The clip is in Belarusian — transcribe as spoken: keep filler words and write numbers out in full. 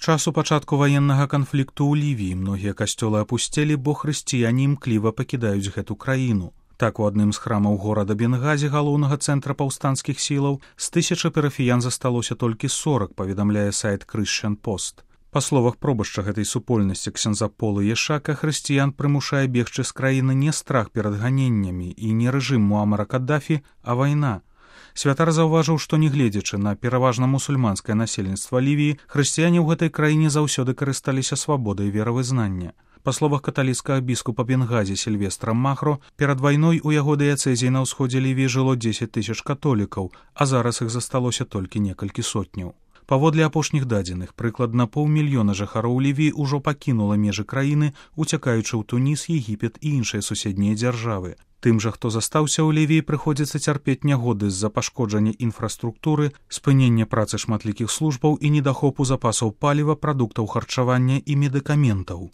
часу пачатку ваеннага канфлікту ў Лівіі многія касцёлы апусцелі, бо хрысціяне імкліва пакідаюць гэту краіну. Так, у адным з храмаў горада Бенгазі, галоўнага цэнтра паўстанцкіх сілаў, з тысячы парафіян засталося толькі сорак, паведамляе сайт Christian Post. Па словах пробашча гэтай супольнасці ксяндза Полы Ешака, хрысціян прымушае бегчы з краіны не страх перад ганеннямі і не рэжым Муамара Каддафі, а вайна. Святар заўважыў, што нягледзячы на пераважна мусульманскае насельніцтва Лівіі, хрысціяне ў гэтай краіне заўсёды карысталіся свабодай веравызнання. Па словах каталіцкага біскупа Бенгазі Сільвестра Махро, перад вайной у яго дыяцэзіі на ўсходзе Лівіі жыло дзесяць тысяч католікаў, а зараз іх засталося толькі некалькі сотняў. Паводле апошніх дадзеных, прыкладна паўмільёна жыхароў Лівіі ўжо пакінула межы краіны, уцякаючы ў Туніс, Егіпет і іншыя суседнія дзяржавы. Тым жа, хто застаўся ў Лівіі, прыходзіцца цярпець нягоды з-за пашкоджання інфраструктуры, спынення працы шматлікіх службаў і недахопу запасаў паліва, прадуктаў харчавання і медыкаментаў.